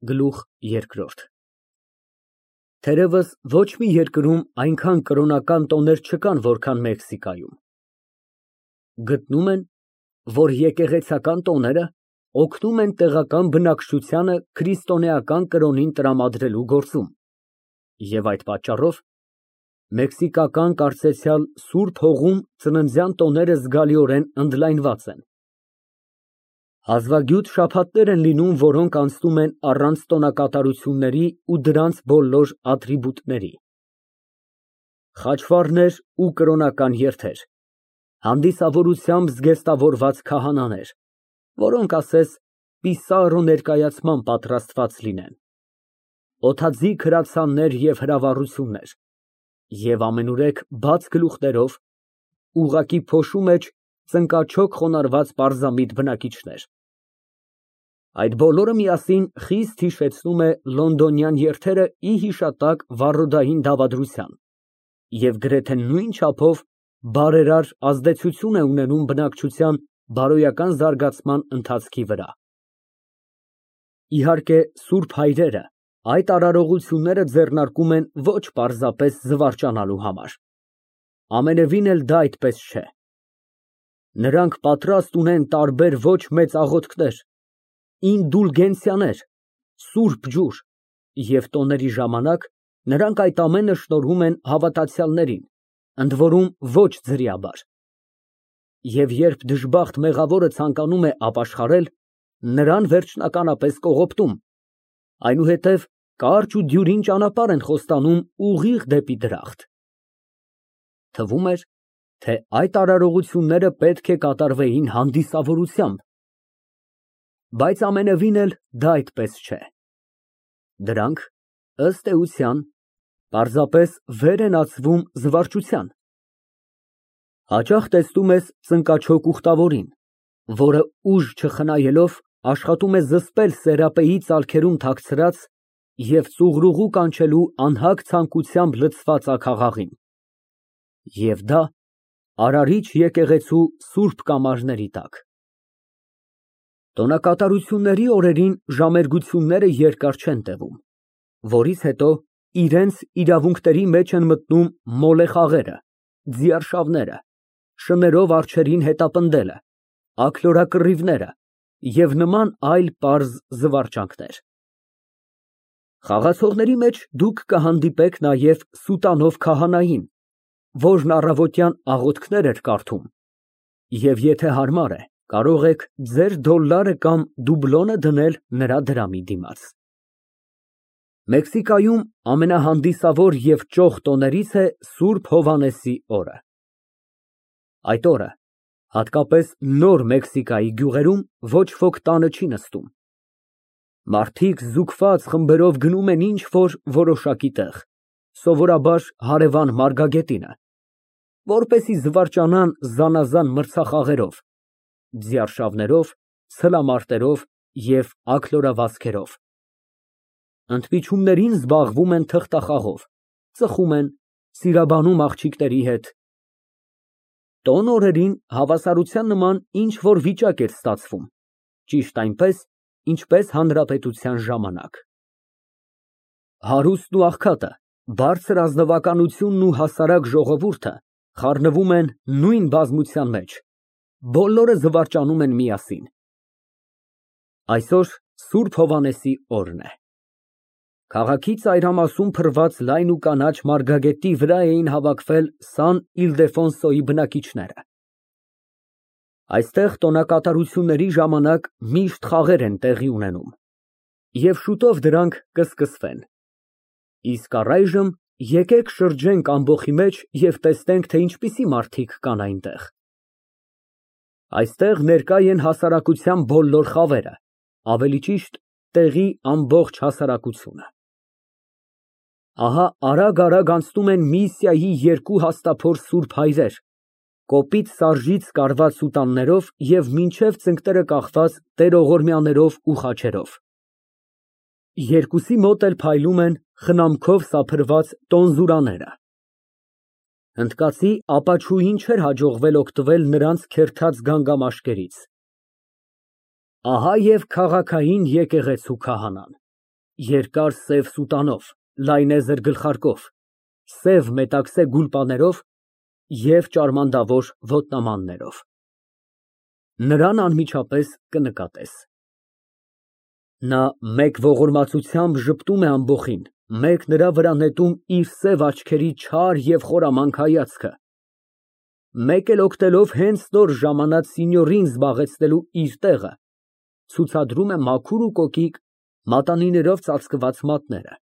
Գլուխ երկրորդ Թերևս ոչ մի երկրում այնքան կրոնական տոներ չկան, որքան Մեքսիկայում։ Գտնում են, որ եկեղեցական տոները օգնում են տեղական բնակչությանը քրիստոնեական կրոնին տրամադրելու գործում, և այդ պատճառով մեքսիկական կարծեցյալ սուրբ հողում ծննդյան տոները զգալիորեն ընդլայնված են։ Հազվագյուտ շաբաթներ են լինում, որոնք անցնում են առանց տոնակատարությունների ու դրանց բոլոր ատրիբուտների։ Խաչվառներ ու կրոնական երթեր, հանդիսավորությամբ զգեստավորված քահանաներ, որոնք ասես պիսարրո ներկայացման պատրաստված լինեն, օդաձիգ հրացաններ և հրավառություններ և ամենուրեք բաց գլուխներով, ուղղակի փոշու մեջ ծնկաչոք խոնարհված պարզամիտ բնակիչներ։ Այդ բոլորը միասին խիստ հիշեցնում է լոնդոնյան երթերը ի հիշատակ վառոդային դավադրության և գրեթե նույն չափով բարերար ազդեցություն է ունենում բնակչության բարոյական զարգացման ընթացքի վրա։ Իհարկե, սուրբ հայրերը այդ արարողությունները ձեռնարկում են ոչ պարզապես զվարճանալու համար։ Ամենևին էլ դա այդպես չէ։ Նրանք պատրաստ ունեն տարբեր ոչ մեծ աղոթքներ, ինդուլգենցիաներ, սուրբ ջուր, և տոների ժամանակ նրանք այդ ամենը շնորհում են հավատացյալներին, ընդ որում ոչ ձրիաբար։ Եվ երբ դժբախտ մեղավորը ցանկանում է ապաշխարել, նրան վերջնականապես կողոպտում, այնուհետև կարճ ու դյուրին ճանապարհ են խոստանում ուղիղ դեպի դրախտ։ Թվում էր, թե այդ արարողությունները պետք է կատարվեին հանդիսավորությամբ, բայց ամենևին էլ դա այդպես չէ։ Դրանք, ըստ էության, պարզապես վեր են ածվում զվարճության։ Հաճախ տեսնում ես ծնկաչոք ուխտավորին, որը ուժ չխնայելով աշխատում է զսպել սերապեի ծալքերում թաքցրած և ծուղրուղու կանչելու անհագ ցանկությամբ լցված աքաղաղին։ Եվ դա Արարիչ եկեղեցու սուրբ կամարների տակ։ Տոնակատարությունների օրերին ժամերգությունները երկար չեն տևում, որից հետո իրենց իրավունքների մեջ են մտնում մոլեխաղերը, ձիարշավները, շներով արջերին հետապնդելը, աքլորակռիվները և նման այլ պարզ զվարճանքներ։ Խաղացողների մեջ դուք կհանդիպեք նաև սուտանով քահանային, որն առավոտյան աղոթքներ էր կարդում, և եթե հարմար է, կարող եք ձեր դոլլարը կամ դուբլոնը դնել նրա դրամի դիմաց։ Մեքսիկայում ամենահանդիսավոր և ճոխ տոներից է Սուրբ Հովհաննեսի օրը։ Այդ օրը, հատկապես Նոր Մեքսիկայի գյուղերում, ոչ ոք տանը չի նստում։ Մարդիկ զուգված խմբերով գնում են ինչ֊որ որոշակի տեղ, սովորաբար հարևան մարգագետինը, որպեսզի զվարճանան զանազան մրցախաղերով, ձիարշավներով, ցլամարտերով և աքլորավազքերով։ Ընդմիջումներին զբաղվում են թղթախաղով, ծխում են, սիրաբանում աղջիկների հետ։ Տոն օրերին հավասարության նման ինչ֊որ վիճակ էր ստացվում, ճիշտ այնպես, ինչպես հանրապետության ժամանակ։ Հարուստն ու աղքատը, բարձր ազնվականությունն ու հասարակ ժողովուրդը խառնվում են նույն բազմության մեջ, բոլորը զվարճանում են միասին։ Այսօր Սուրբ Հովհաննեսի օրն է։ Քաղաքի ծայրամասում փռված լայն ու կանաչ մարգագետի վրա էին հավաքվել Սան Իլդեֆոնսոյի բնակիչները։ Այստեղ տոնակատարությունների ժամանակ միշտ խաղեր են տեղի ունենում, և շուտով դրանք կսկսվեն։ Իսկ առայժմ եկեք շրջենք ամբոխի մեջ և տեսնենք, թե ինչպիսի մարդիկ կան այնտեղ։ Այստեղ ներկա են հասարակության բոլոր խավերը, ավելի ճիշտ, տեղի ամբողջ հասարակությունը։ Ահա արագ անցնում են Միսիայի երկու հաստափոր սուրբ հայրեր, կոպիտ սարժից կարված սուտաններով և մինչև ծնկները կախված տերողորմյաներով ու խաչերով։ Երկուսի մոտ էլ փայլում են խնամքով սափրված տոնզուրաները։ Հնդկացի ապաչուին չէր հաջողվել օգտվել նրանց քերթած գանգամաշկերից։ Ահա և քաղաքային եկեղեցու քահանան։ երկար սև սուտանով, լայնեզր գլխարկով, սև մետաքսե գուլպաներով և ճարմանդավոր ոտնամաններով։ Նրան անմիջապես կնկատես։ Նա մեկ ողորմածությամբ ժպտում է ամբոխին, մեկ նրա վրա նետում իր սև աչքերի չար և խորամանկ հայացքը, մեկ էլ օգնելով հենց նոր ժամանած սինյորին զբաղեցնելու իր տեղը, ցուցադրում է մաքուր ու կոկիկ մատանիներով ծածկված մատները։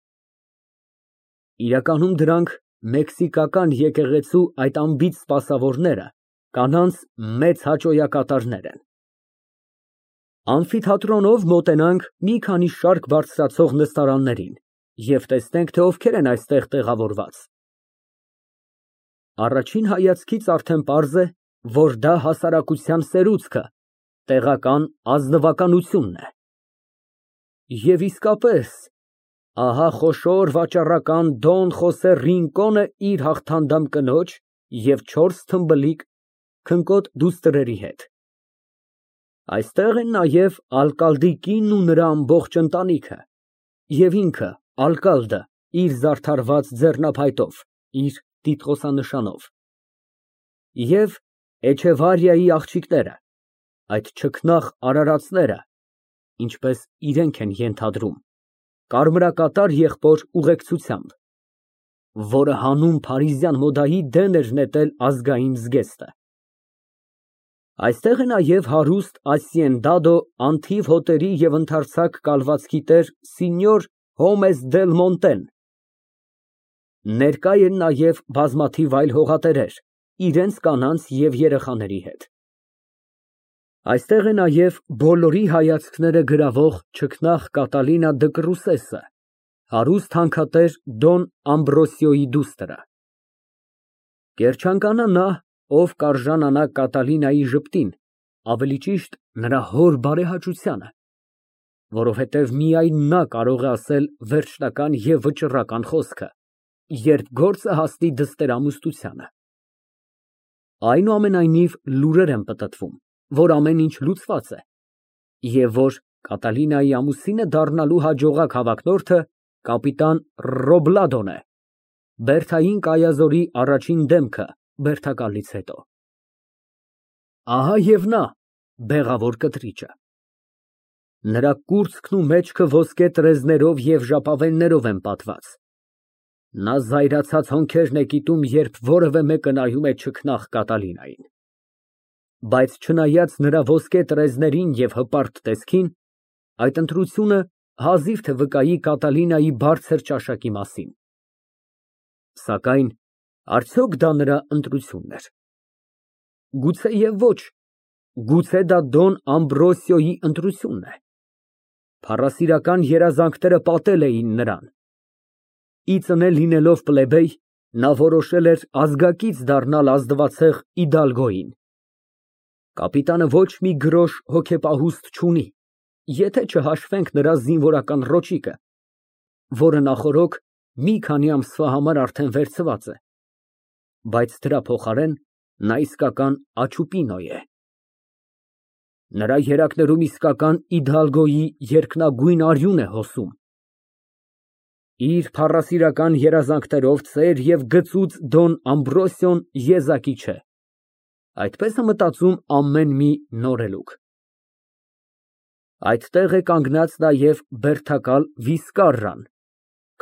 Իրականում դրանք մեքսիկական եկեղեցու այդ անբիծ սպասավորները, կանանց մեծ հաճոյակատարներ են։ Ամֆիթատրոնով մոտենանք մի քանի շարք բարձրացող նստարաններին և տեսնենք, թե ովքեր են այստեղ տեղավորված։ Առաջին հայացքից արդեն պարզ է, որ դա հասարակության սերուցքը, տեղական ազնվականությունն է։ Եվ իսկապես, ահա խոշոր վաճառական Դոն Խոսե Ռինկոնը իր հաղթանդամ կնոջ և 4 թմբլիկ քնկոտ դուստրերի հետ։ Այստեղ են նաև ալկալդի կինն ու նրա ամբողջ ընտանիքը, և ինքը, ալկալդը, իր զարդարված ձեռնափայտով, իր տիտղոսանշանով, և Էչեվարիայի աղջիկները, այդ չքնաղ արարածները, ինչպես իրենք են ենթադրում, կարմրակատար եղբոր ուղեկցությամբ, որը հանուն փարիզյան մոդայի դեն էր նետել ազգային զգեստը։ Այստեղ է նաև հարուստ ասիենդադո անթիվ հոտերի և ընդարձակ կալվածքի տեր սինյոր Հոմես դել Մոնտեն։ Ներկա են նաև բազմաթիվ այլ հողատերեր, իրենց կանանց և երեխաների հետ։ Այստեղ է նաև բոլորի հայացքները գրավող չքնաղ Կատալինա Դկռուսեսը, հարուստ հանքատեր Դոն Ամբրոսիոյի դուստրը։ Կերչանկանա նա, ով կարժանանա Կատալինայի ժպտին, ավելի ճիշտ նրա հոր բարեհաճությանը, որովհետև միայն նա կարող է ասել վերջնական և վճռական խոսքը, երբ գործը հասնի դստերամուստությանը։ Այնուամենայնիվ, լուրեր են պտտվում, որ ամեն ինչ լուծված է, և որ Կատալինայի ամուսինը դառնալու հաջողակ հավակնորդը կապիտան Ռոբլադոն է, Բերթային կայազորի առաջին դեմքը բերդակալից հետո։ Ահա և նա, բեղավոր կտրիճը։ Նրա կուրծքն ու մեջքը ոսկե տրեզներով և ժապավեններով են պատված։ Նա զայրացած հոնքերն է կիտում, երբ որևէ մեկը նայում է չքնաղ Կատալինային։ Բայց չնայած նրա ոսկե տրեզներին և հպարտ տեսքին, այդ ընտրությունը հազիվ թե վկայի Կատալինայի բարձր ճաշակի մասին։ Սակայն արդյոք դա նրա ընտրությունն էր։ Գուցեև ոչ, գուցե դա Դոն Ամբրոսիոյի ընտրությունն է։ Փառասիրական երազանքները պատել էին նրան։ Ի ծնե լինելով պլեբեյ, նա որոշել էր ազգակից դառնալ ազնվացեղ իդալգոյին։ Կապիտանը ոչ մի գրոշ հոգեպահուստ չունի, եթե չհաշվենք նրա զինվորական ռոճիկը, որը նախօրոք մի քանի ամսվա համար արդեն վերցված է, բայց դրա փոխարեն նա իսկական աչուպինո է։ Նրա երակներում իսկական իդալգոյի երկնագույն արյուն է հոսում։ Իր փառասիրական երազանքներով ծեր և գծուծ Դոն Ամբրոսիոն եզակի չէ, այդպես է մտածում ամեն մի նորելուկ։ Այդտեղ է կանգնած նաև բերդակալ Վիսկարրան,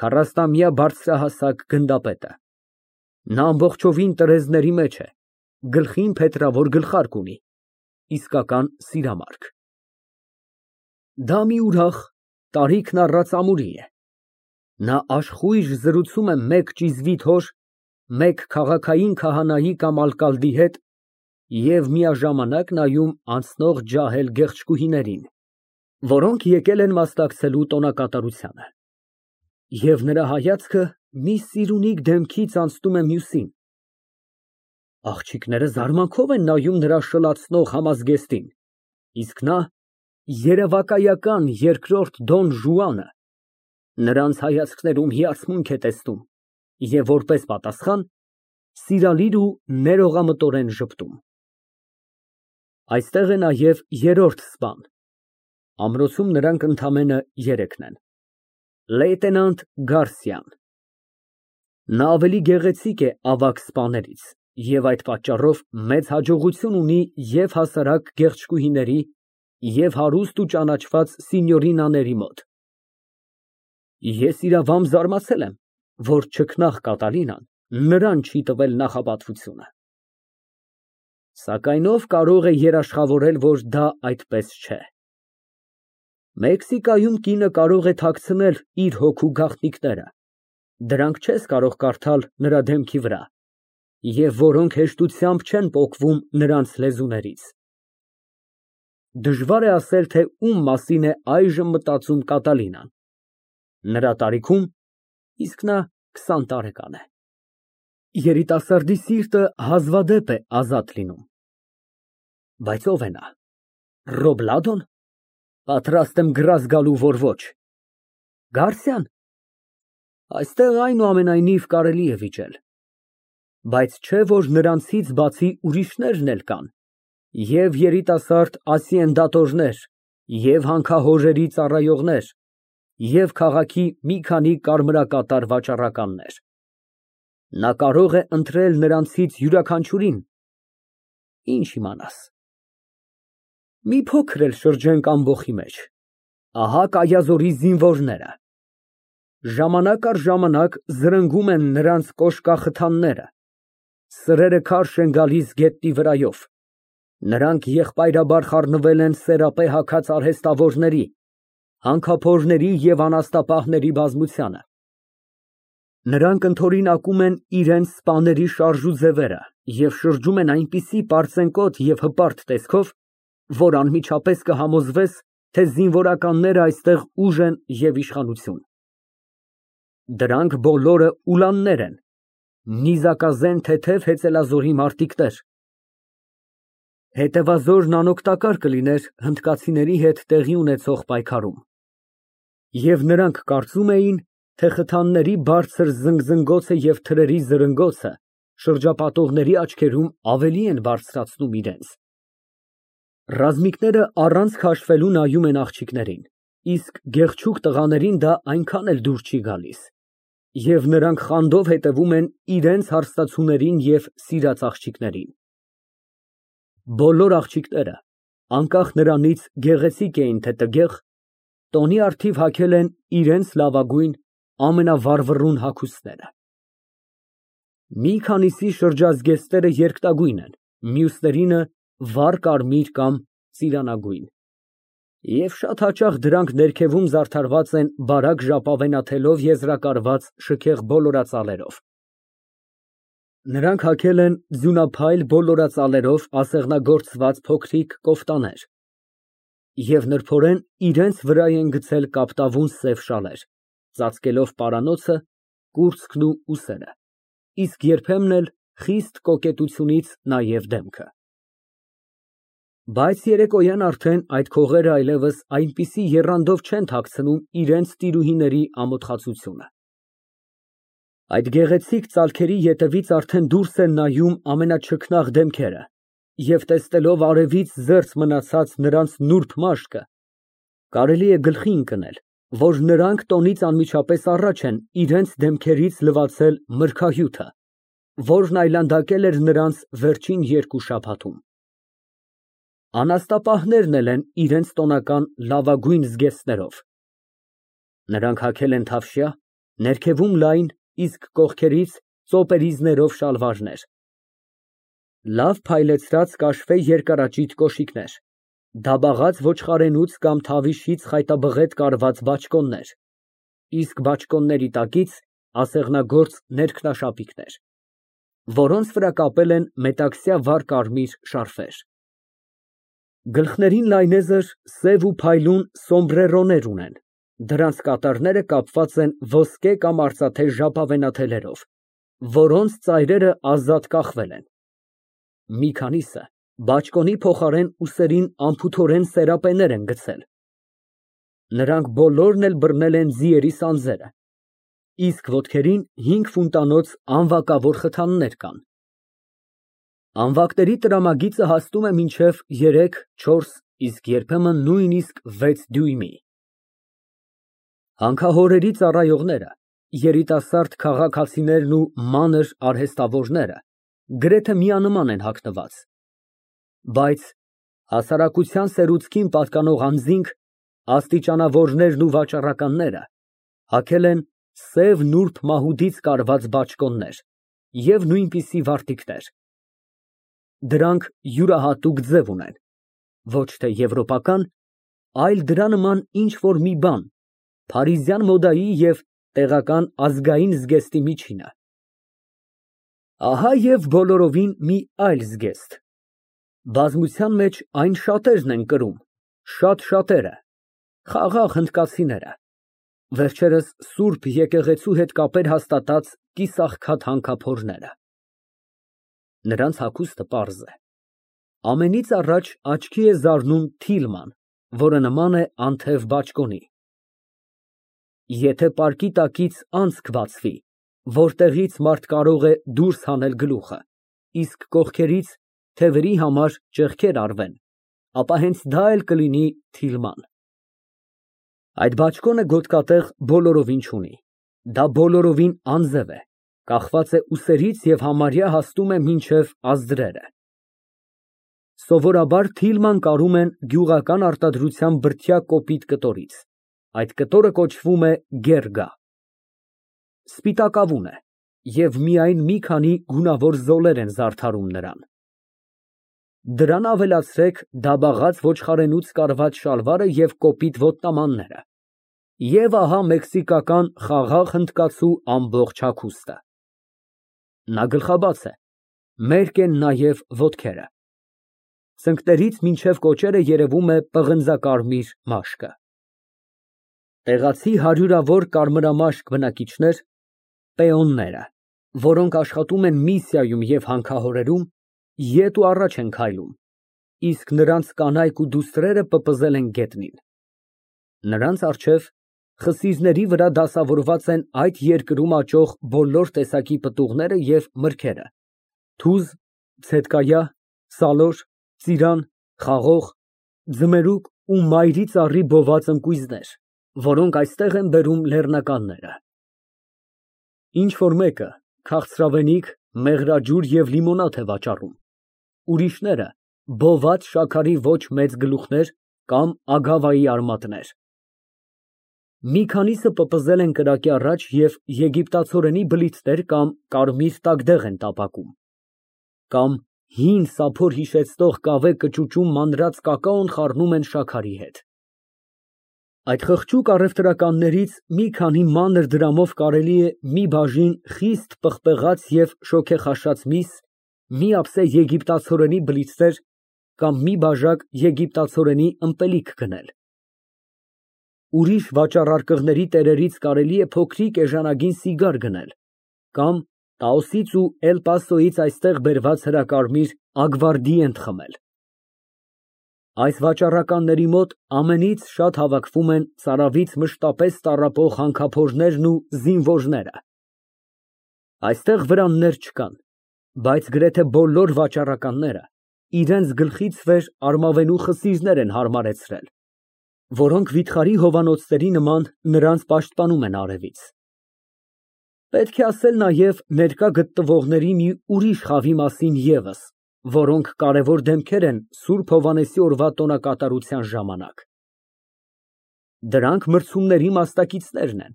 40-ամյա բարձրահասակ գնդապետը։ Նա ամբողջովին տրեզների մեջ է, գլխին փետրավոր գլխարկ ունի, իսկական սիրամարգ։ Դա մի ուրախ, տարիքն առած ամուրի է։ Նա աշխույժ զրուցում է մեկ ճիզվիտ հոր, մեկ քաղաքային քահանայի կամ ալկալդի հետ և միաժամանակ նայում անցնող ջահել գեղեցկուհիներին, որոնք եկել են մասնակցելու տոնակատարությանը։ Եվ նրա հայացքը մի սիրունիկ դեմքից անցնում է մյուսին։ Աղջիկները զարմանքով են նայում նրա շլացնող համազգեստին, իսկ նա, երևակայական երկրորդ Դոն Ժուանը, նրանց հայացքներում հիացմունք է տեսնում և որպես պատասխան, սիրալիր ու ներողամտորեն ժպտում։ Այստեղ է նաև երրորդ սպան։ Ամրոցում նրանք ընդամենը երեքն են։ Լեյտենանտ Գարսիան։ Նա ավելի գեղեցիկ է ավագ սպաներից և այդ պատճառով մեծ հաջողություն ունի և հասարակ գեղեցկուհիների, և հարուստ ու ճանաչված սինյորինաների մոտ։ Ես իրավամբ զարմացել եմ, որ չքնաղ Կատալինան նրան չի տվել նախապատվությունը։ Սակայն ով կարող է երաշխավորել, որ դա այդպես չէ։ Մեքսիկայում կինը կարող է թաքցնել իր հոգու գաղտնիքները, դրանք չես կարող կարդալ նրա դեմքի վրա, և որոնք հեշտությամբ չեն պոկվում նրանց լեզուներից։ Դժվար է ասել, թե ում մասին է այժմ մտածում Կատալինան։ Նրա տարիքում, իսկ նա 20 տարեկան է։ Երիտասարդի սիրտը հազվադեպ է ազատ լինում։ Բայց ո՞վ է նա։ Ռոբլադո՞ն։ Պատրաստ եմ գրազ գալու, որ ոչ։ Գարսիա՞ն։ Այստեղ այնուամենայնիվ կարելի է վիճել։ Բայց չէ՞ որ նրանցից բացի ուրիշներն էլ կան, և երիտասարդ ասիենդատորներ, և հանքահորերի ծառայողներ, և քաղաքի մի քանի կարմրակատար վաճառականներ։ Նա կարող է ընտրել նրանցից յուրաքանչյուրին։ Ինչ իմանաս։ Մի փոքր էլ շրջենք ամբոխի մեջ, ահա Կայազորի զինվորները։ Ժամանակ առ ժամանակ զրնգում են նրանց կոշկախթանները, սրերը քարշ են գալիս գետնի վրայով, նրանք եղբայրաբար խառնվել են սերապե հագած արհեստավորների, հանքափորների և անաստապահների բազմությանը։ Նրանք ընդօրինակում են իրենց սպաների շարժուձևերը և շրջում են այնպիսի պարծենկոտ և հպարտ տեսքով, որ անմիջապես կհամոզվես, թե զինվորականները այստեղ ուժ են և իշխանություն։ Դրանք բոլորը ուլաններ են, նիզակազեն թեթև հեծելազորի մարտիկներ։ Հետևազորն անօգտակար կլիներ հնդկացիների հետ տեղի ունեցող պայքարում։ Եվ նրանք կարծում էին, թե խթանների բարձր զնգզնգոցը և թրերի զրնգոցը շրջապատողների աչքերում ավելի են բարձրացնում իրենց։ Ռազմիկները առանց քաշվելու նայում են աղջիկներին, իսկ գեղեցիկ տղաներին դա այնքան էլ դուր չի գալիս, և նրանք խանդով հետևում են իրենց հարստացուներին և սիրած աղջիկներին։ Բոլոր աղջիկները, անկախ նրանից գեղեցիկ էին թե տգեղ, տոնի առթիվ հագել են իրենց լավագույն, ամենավառվռուն հագուստները։ Մի քանիսի շրջազգեստները երկտագույն են, մյուսներինը վառ կարմիր կամ ծիրանագույն, և շատ հաճախ դրանք ներքևում զարդարված են բարակ ժապավենաթելով եզրակարված շքեղ բոլորածալերով։ Նրանք հագել են ձյունափայլ բոլորածալերով ասեղնագործված փոքրիկ կոֆտաներ և նրբորեն իրենց վրա են գցել կապտավուն սև շալեր, ծածկելով պարանոցը, կուրծքն ու ուսերը, իսկ երբեմն էլ խիստ կոկետությունից նաև դեմքը։ Բայց երեկոյան արդեն այդ քողերը այլևս այնպիսի եռանդով չեն թաքցնում իրենց տիրուհիների ամոթխածությունը։ Այդ գեղեցիկ ծալքերի ետևից արդեն դուրս են նայում ամենաչքնաղ դեմքերը, և տեսնելով արևից զերծ մնացած նրանց նուրբ մաշկը, կարելի է գլխի ընկնել, որ նրանք տոնից անմիջապես առաջ են իրենց դեմքերից լվացել մրգահյութը, որն այլանդակել էր նրանց վերջին 2 շաբաթում։ Անաստապահներն էլ են իրենց տոնական լավագույն զգեստներով։ Նրանք հագել են թավշյա, ներքևում լայն, իսկ կողքերից ծոպերիզներով շալվարներ, լավ փայլեցրած կաշվե երկարաճիտ կոշիկներ, դաբաղած ոչխարենուց կամ թավիշից խայտաբղետ կարված բաճկոններ, իսկ բաճկոնների տակից ասեղնագործ ներքնաշապիկներ, որոնց վրա կապել են մետաքսյա վառ կարմիր շարֆեր։ Գլխներին լայնեզր սև ու փայլուն սոմբրերոներ ունեն, դրանց կատարները կապված են ոսկե կամ արծաթե ժապավենաթելերով, որոնց ծայրերը ազատ կախվել են։ Մի քանիսը բաճկոնի փոխարեն ուսերին անփութորեն սերապեներ են գցել։ Նրանք բոլորն էլ բռնել են ձիերի սանձերը, իսկ ոտքերին 5 ֆունտանոց անվակավոր խթաններ կան։ Անվակների տրամագիծը հասնում է մինչև 3-4, իսկ երբեմն նույնիսկ 6 դյույմի։ Հանքահորերի ծառայողները, երիտասարդ քաղաքացիներն ու մանր արհեստավորները գրեթե միանման են հագնված, բայց հասարակության սերուցքին պատկանող անձինք, աստիճանավորներն ու վաճառականները հագել են սև նուրբ մահուդից կարված բաճկոններ և նույնպիսի վարտիքներ։ Դրանք յուրահատուկ ձև ունեն, ոչ թե եվրոպական, այլ դրա նման ինչ֊որ մի բան, փարիզյան մոդայի և տեղական ազգային զգեստի միջինը։ Ահա և բոլորովին մի այլ զգեստ։ Բազմության մեջ այն շատերն են կրում, շատ շատերը, խաղաղ հնդկացիները, վերջերս սուրբ եկեղեցու հետ կապեր հաստատած կիսաղքատ հանքափորները։ Նրանց հագուստը պարզ է։ Ամենից առաջ աչքի է զարնում թիլման, որը նման է անթև բաճկոնի։ Եթե պարկի տակից անցք բացվի, որտեղից մարդ կարող է դուրս հանել գլուխը, իսկ կողքերից թևերի համար ճեղքեր արվեն, ապա հենց դա էլ կլինի թիլման։ Այդ բաճկոնը գոտկատեղ բոլորովին չունի, դա բոլորովին անձև է, կախված է ուսերից և համարյա հասնում է մինչև ազդրերը։ Սովորաբար թիլման կարում են գյուղական արտադրության բրդյա կոպիտ կտորից, այդ կտորը կոչվում է գերգա։ Սպիտակավուն է և միայն մի քանի գունավոր զոլեր են զարդարում նրան։ Դրան ավելացրեք դաբաղած ոչխարենուց կարված շալվարը և կոպիտ ոտնամանները, և ահա մեքսիկական խաղաղ հնդկացու ամբողջ հագուստը։ Նա գլխաբաց է, մերկ են նաև ոտքերը։ Ծնկներից մինչև կոճերը երևում է պղնձակարմիր մաշկը։ Տեղացի հարյուրավոր կարմրամաշկ բնակիչներ, պեոնները, որոնք աշխատում են միսիայում և հանքահորերում, ետ ու առաջ են քայլում, իսկ նրանց կանայք ու դուստրերը պպզել են գետնին։ Նրանց առջև խսիզների վրա դասավորված են այդ երկրում աճող բոլոր տեսակի պտուղները և մրգերը՝ թուզ, ցետկայա, սալոր, ծիրան, խաղող, ձմերուկ ու մայրի ծառի բոված ընկույզներ, որոնք այստեղ են բերում լեռնականները։ Ինչ֊որ մեկը քաղցրավենիք, մեղրաջուր և լիմոնադ է վաճառում, ուրիշները բոված շաքարի ոչ մեծ գլուխներ կամ ագավայի արմատներ։ Մի քանիսը պպզել են կրակի առաջ և եգիպտացորենի բլիթներ կամ կարմիր տագդեղ են տապակում, կամ հին սափոր հիշեցնող կավե կճուճում մանրած կակաոն խառնում են շաքարի հետ։ Այդ խղճուկ առևտրականներից մի քանի մանր դրամով կարելի է մի բաժին խիստ պղպեղած և շոգեխաշած միս, մի ափսե եգիպտացորենի բլիթներ կամ մի բաժակ եգիպտացորենի ըմպելիք գնել։ Ուրիշ վաճառարկղների տերերից կարելի է փոքրիկ էժանագին սիգար գնել կամ Տաոսից ու Էլ Պասոյից այստեղ բերված հրակարմիր ագվարդիենտ խմել։ Այս վաճառականների մոտ ամենից շատ հավաքվում են ծարավից մշտապես տառապող հանքափորներն ու զինվորները։ Այստեղ վրաններ չկան, բայց գրեթե բոլոր վաճառականները իրենց գլխից վեր արմավենու խսիզներ են հարմարեցրել, որոնք վիթխարի հովանոցների նման նրանց պաշտպանում են արևից։ Պետք է ասել նաև ներկա գտնվողների մի ուրիշ խավի մասին ևս, որոնք կարևոր դեմքեր են Սուրբ Հովհաննեսի օրվա տոնակատարության ժամանակ։ Դրանք մրցումների մասնակիցներն են,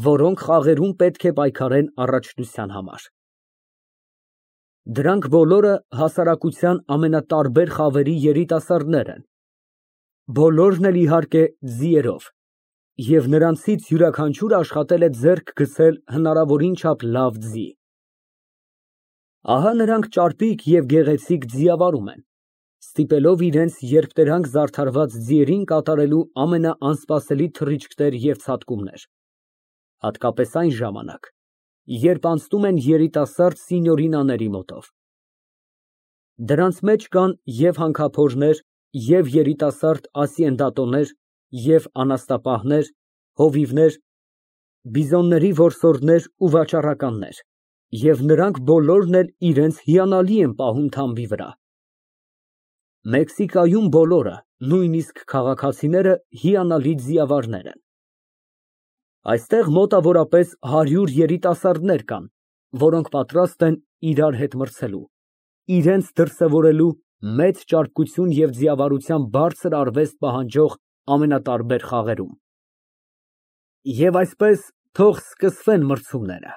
որոնք խաղերում պետք է պայքարեն առաջնության համար։ Դրանք բոլորը հասարակության ամենատարբեր խավերի երիտասարդներ են, բոլորն էլ իհարկե ձիերով, և նրանցից յուրաքանչյուրը աշխատել է ձեռք գցել հնարավորին չափ լավ ձի։ Ահա նրանք ճարպիկ և գեղեցիկ ձիավարում են, ստիպելով իրենց երբտերանք զարդարված ձիերին կատարելու ամենաանսպասելի թռիչքներ և ցատկումներ, հատկապես այն ժամանակ, երբ անցնում են երիտասարդ սինյորինաների մոտով։ Դրանց մեջ կան և հանքափորներ, և երիտասարդ ասիենդատոներ, և անասնապահներ, հովիվներ, բիզոնների որսորդներ ու վաճառականներ, և նրանք բոլորն էլ իրենց հիանալի են պահում թամբի վրա։ Մեքսիկայում բոլորը, նույնիսկ քաղաքացիները հիանալի ձիավարներ են։ Այստեղ մոտավորապես 100 երիտասարդներ կան, որոնք պատրաստ են իրար հետ մրցելու, իրենց դրսևորելու մեծ ճարպկություն և ձիավարության բարձր արվեստ պահանջող ամենատարբեր խաղերում։ Եվ այսպես, թող սկսվեն մրցումները։